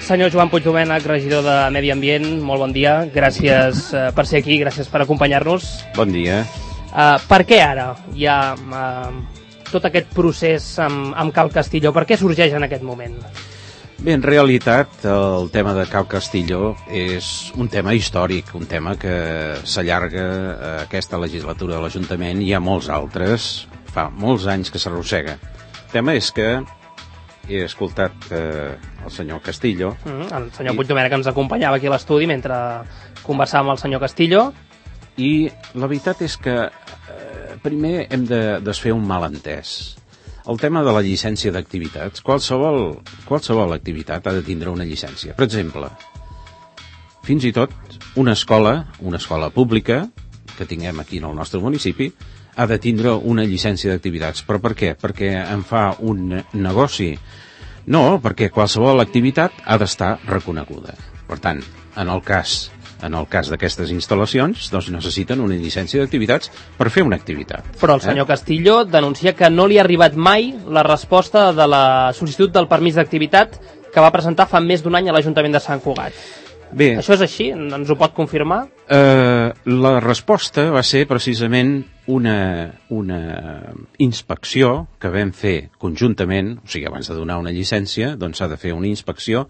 Senyor Joan Puigdomènech, regidor de Medi Ambient, molt bon dia. Gràcies per ser aquí, gràcies per acompanyar-nos. Bon dia. Per què ara hi ha tot aquest procés amb Cal Castillo? Per què sorgeix en aquest moment? Bé, en realitat, el tema de Cal Castillo és un tema històric, un tema que s'allarga a aquesta legislatura de l'Ajuntament i hi ha molts altres, fa molts anys que s'arrossega. El tema és que he escoltat el senyor Castillo. El senyor Puigdomènech ens acompanyava aquí a l'estudi mentre conversàvem amb el senyor Castillo. I la veritat és que primer hem de desfer un malentès. El tema de la llicència d'activitats. Qualsevol activitat ha de tindre una llicència. Per exemple, fins i tot una escola pública que tinguem aquí en el nostre municipi ha de tindre una llicència d'activitats. Però per què? Perquè en fa un negoci? No, perquè qualsevol activitat ha d'estar reconeguda. Per tant, en el cas d'aquestes instal·lacions, doncs necessiten una llicència d'activitats per fer una activitat. Però el senyor Castillo denuncia que no li ha arribat mai la resposta de la sol·licitud del permís d'activitat que va presentar fa més d'un any a l'Ajuntament de Sant Cugat. Bé, això és així? Ens ho pot confirmar? La resposta va ser precisament una inspecció que vam fer conjuntament, o sigui, abans de donar una llicència, doncs s'ha de fer una inspecció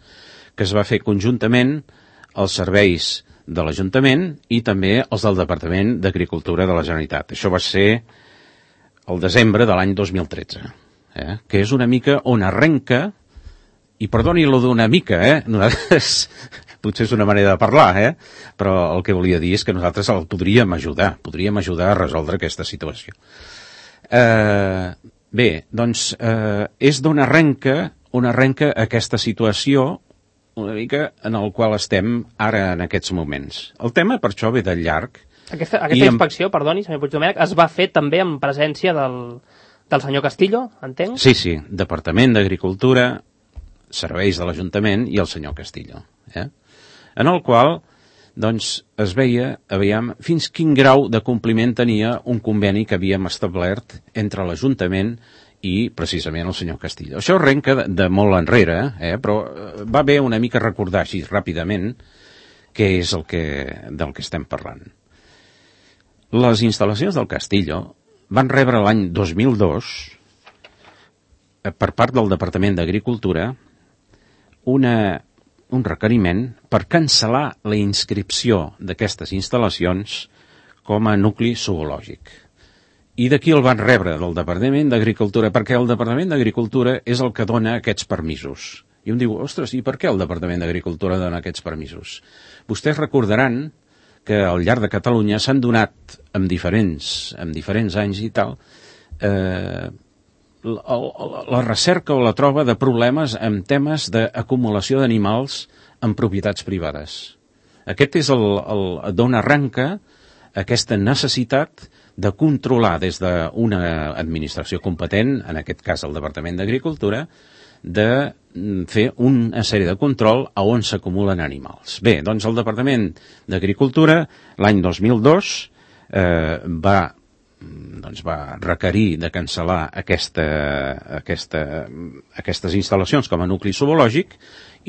que es va fer conjuntament als serveis de l'Ajuntament i també els del Departament d'Agricultura de la Generalitat. Això va ser el desembre de l'any 2013, que és una mica on arrenca, i perdoni-lo d'una mica, nosaltres, potser és una manera de parlar, però el que volia dir és que nosaltres el podríem ajudar a resoldre aquesta situació. Bé, doncs és d'on arrenca aquesta situació una mica en el qual estem ara en aquests moments. El tema, per això, ve de llarg. Aquesta inspecció, perdoni, senyor Puigdomènech, es va fer també en presència del senyor Castillo, entenc? Sí, Departament d'Agricultura, serveis de l'Ajuntament i el senyor Castillo. En el qual, doncs, es veia, fins quin grau de compliment tenia un conveni que havíem establert entre l'Ajuntament i precisament el senyor Castillo. Això arrenca de molt enrere, però va bé una mica recordar així ràpidament què és del que estem parlant. Les instal·lacions del Castillo van rebre l'any 2002 per part del Departament d'Agricultura un requeriment per cancel·lar la inscripció d'aquestes instal·lacions com a nucli zoològic. I d'aquí el van rebre, del Departament d'Agricultura, perquè el Departament d'Agricultura és el que dona aquests permisos. I un diu, ostres, i per què el Departament d'Agricultura dona aquests permisos? Vostès recordaran que al llarg de Catalunya s'han donat en diferents anys i tal, la recerca o la troba de problemes en temes d'acumulació d'animals en propietats privades. Aquest és d'on arrenca aquesta necessitat de controlar des d'una administració competent, en aquest cas el Departament d'Agricultura, de fer una sèrie de control a on s'acumulen animals. Bé, doncs el Departament d'Agricultura l'any 2002 va requerir de cancel·lar aquestes instal·lacions com a nucli zoològic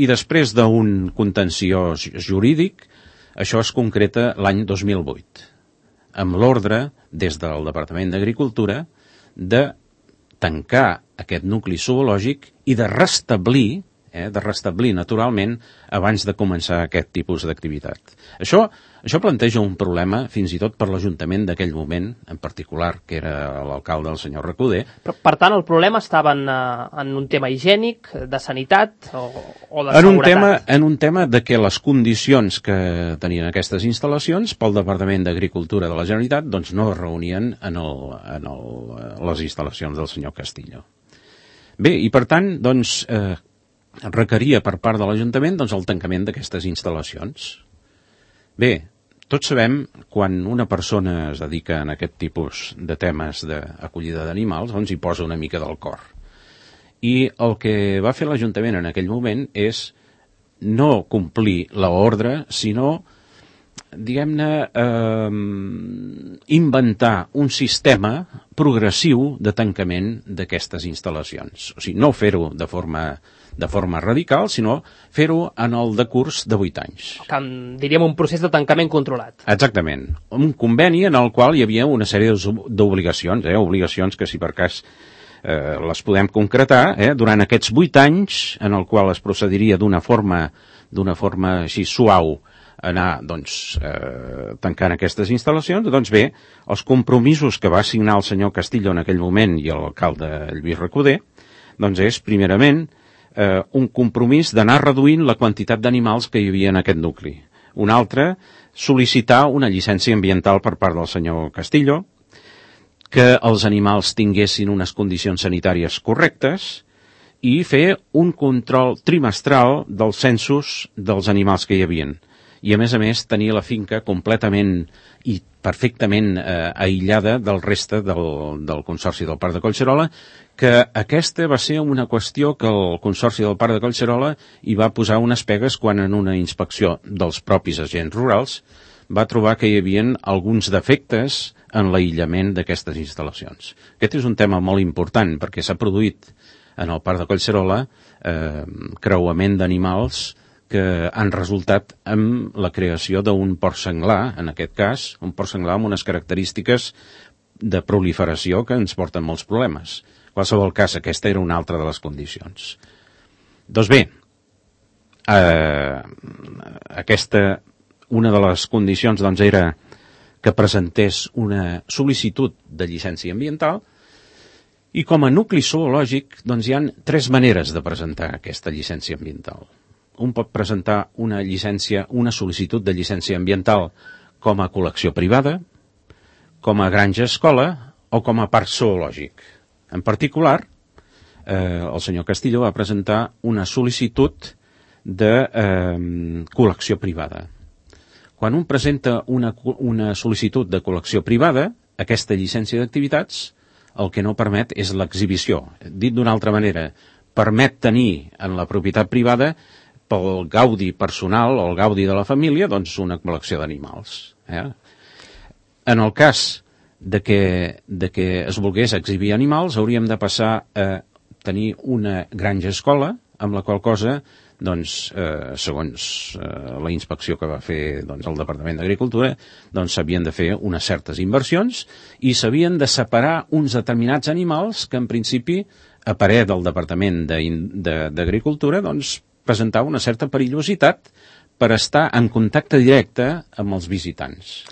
i després d'un contenciós jurídic això es concreta l'any 2008 amb l'ordre des del Departament d'Agricultura de tancar aquest nucli zoològic i de restablir naturalment abans de començar aquest tipus d'activitat. Això planteja un problema fins i tot per l'Ajuntament d'aquell moment, en particular, que era l'alcalde, el senyor Recoder. Però, per tant, el problema estava en un tema higiènic, de sanitat o de seguretat? En un tema de que les condicions que tenien aquestes instal·lacions pel Departament d'Agricultura de la Generalitat doncs no es reunien en les instal·lacions del senyor Castillo. Bé, i per tant, doncs, requeria per part de l'Ajuntament doncs, el tancament d'aquestes instal·lacions. Bé, tots sabem quan una persona es dedica a aquest tipus de temes d'acollida d'animals, doncs hi posa una mica del cor. I el que va fer l'Ajuntament en aquell moment és no complir l'ordre, sinó diguem-ne, inventar un sistema progressiu de tancament d'aquestes instal·lacions. O sigui, no fer-ho de forma radical, sinó fer-ho en el decurs de 8 anys. Diríem un procés de tancament controlat. Exactament. Un conveni en el qual hi havia una sèrie d'obligacions, obligacions que si per cas les podem concretar, durant aquests 8 anys en el qual es procediria d'una forma així suau anar tancant aquestes instal·lacions. Doncs bé, els compromisos que va signar el senyor Castillo en aquell moment i l'alcalde Lluís Recoder, doncs és primerament un compromís d'anar reduint la quantitat d'animals que hi havia en aquest nucli. Un altre, sol·licitar una llicència ambiental per part del senyor Castillo, que els animals tinguessin unes condicions sanitàries correctes i fer un control trimestral dels censos dels animals que hi havien. I, a més, tenir la finca completament i perfectament aïllada del reste del Consorci del Parc de Collserola, que aquesta va ser una qüestió que el Consorci del Parc de Collserola hi va posar unes pegues quan en una inspecció dels propis agents rurals va trobar que hi havia alguns defectes en l'aïllament d'aquestes instal·lacions. Aquest és un tema molt important perquè s'ha produït en el Parc de Collserola creuament d'animals que han resultat amb la creació d'un porc senglar, en aquest cas, un porc senglar amb unes característiques de proliferació que ens porten molts problemes. En qualsevol cas, aquesta era una altra de les condicions. Doncs bé, una de les condicions era que presentés una sol·licitud de llicència ambiental i com a nucli zoològic hi ha 3 maneres de presentar aquesta llicència ambiental. Un pot presentar una sol·licitud de llicència ambiental com a col·lecció privada, com a granja escola o com a parc zoològic. En particular, el senyor Castillo va presentar una sol·licitud de col·lecció privada. Quan un presenta una sol·licitud de col·lecció privada, aquesta llicència d'activitats el que no permet és l'exhibició. Dit d'una altra manera, permet tenir en la propietat privada pel gaudi personal o el gaudi de la família una col·lecció d'animals. En el cas de que es volgués exhibir animals, hauríem de passar a tenir una granja escola, amb la qual cosa, segons la inspecció que va fer el Departament d'Agricultura, s'havien de fer unes certes inversions i s'havien de separar uns determinats animals que, en principi, a parer del Departament d'Agricultura, presentava una certa perillositat per estar en contacte directe amb els visitants.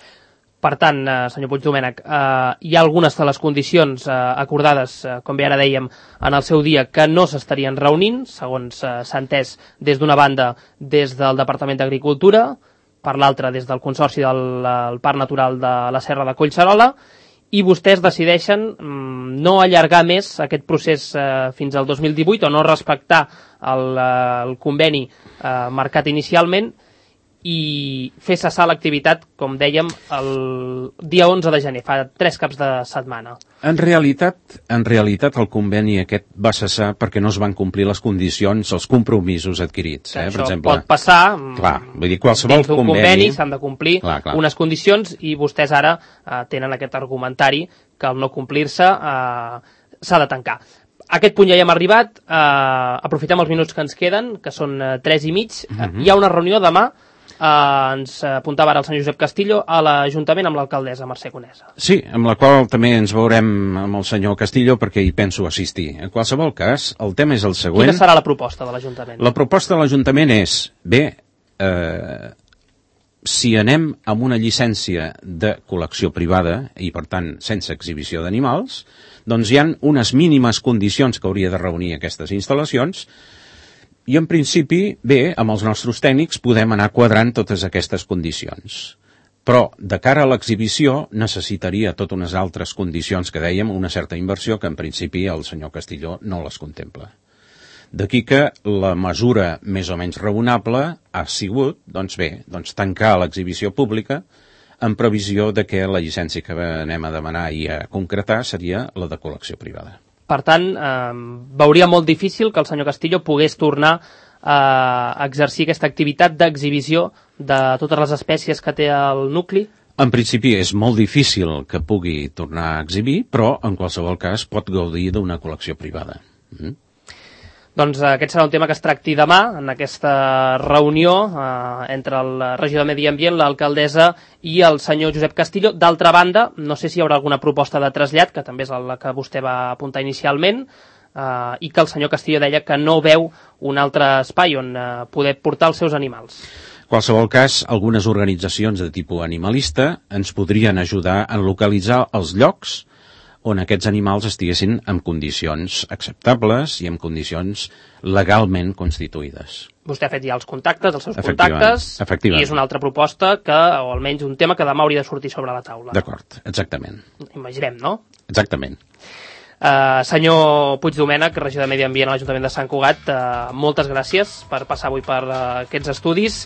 Per tant, senyor Puigdomènech, hi ha algunes de les condicions acordades, com bé ara dèiem, en el seu dia, que no s'estarien reunint, segons s'ha entès des d'una banda des del Departament d'Agricultura, per l'altra des del Consorci del Parc Natural de la Serra de Collserola, i vostès decideixen no allargar més aquest procés fins al 2018 o no respectar el conveni marcat inicialment i fer cessar l'activitat, com dèiem, el dia 11 de gener, fa 3 caps de setmana. En realitat el conveni aquest va cessar perquè no es van complir les condicions, els compromisos adquirits. Per exemple, pot passar, vull dir, qualsevol dins d'un conveni s'han de complir unes condicions i vostès ara tenen aquest argumentari que al no complir-se s'ha de tancar. A aquest punt ja hi hem arribat, aprofitem els minuts que ens queden, que són 3 i mig. Hi ha una reunió demà, ens apuntava ara el senyor Josep Castillo, a l'Ajuntament amb l'alcaldessa Mercè Conesa. Sí, amb la qual també ens veurem amb el senyor Castillo perquè hi penso assistir. En qualsevol cas, el tema és el següent. Quina serà la proposta de l'Ajuntament? La proposta de l'Ajuntament és, si anem amb una llicència de col·lecció privada i, per tant, sense exhibició d'animals, doncs hi ha unes mínimes condicions que hauria de reunir aquestes instal·lacions i, en principi, amb els nostres tècnics podem anar quadrant totes aquestes condicions. Però, de cara a l'exhibició, necessitaria totes unes altres condicions que dèiem, una certa inversió que, en principi, el senyor Castillo no les contempla. D'aquí que la mesura més o menys raonable ha sigut, tancar l'exhibició pública en previsió de que la llicència que anem a demanar i a concretar seria la de col·lecció privada. Per tant, veuria molt difícil que el senyor Castillo pogués tornar exercir aquesta activitat d'exhibició de totes les espècies que té el nucli? En principi és molt difícil que pugui tornar a exhibir, però en qualsevol cas pot gaudir d'una col·lecció privada. Doncs aquest serà un tema que es tracti demà en aquesta reunió entre el regidor de Medi Ambient, l'alcaldessa i el senyor Josep Castillo. D'altra banda, no sé si hi haurà alguna proposta de trasllat, que també és la que vostè va apuntar inicialment, i que el senyor Castillo deia que no veu un altre espai on poder portar els seus animals. En qualsevol cas, algunes organitzacions de tipus animalista ens podrien ajudar a localitzar els llocs on aquests animals estiguessin en condicions acceptables i en condicions legalment constituïdes. Vostè ha fet ja els contactes, els seus contactes, i és una altra proposta que, o almenys un tema que demà hauria de sortir sobre la taula. D'acord, exactament. Imaginem, no? Exactament. Senyor Puigdomènech, regidor de Medi Ambient a l'Ajuntament de Sant Cugat, moltes gràcies per passar avui per aquests estudis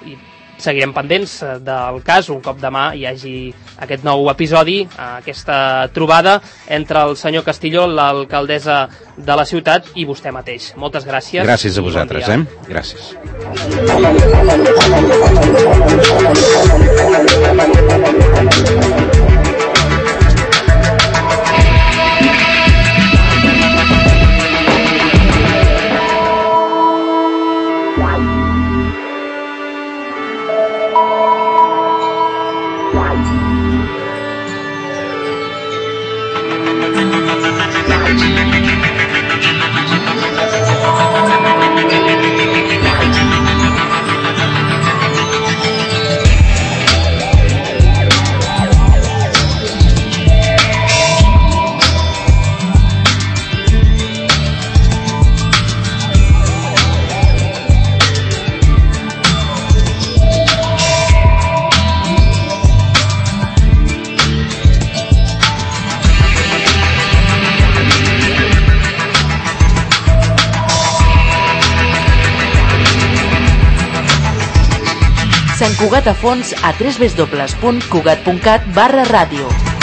i seguirem pendents del cas un cop demà hi hagi aquest nou episodi, aquesta trobada entre el senyor Castillo, l'alcaldessa de la ciutat i vostè mateix. Moltes gràcies. Gràcies a vosaltres, Gràcies. Sant Cugat a fons a www.cugat.cat/ràdio.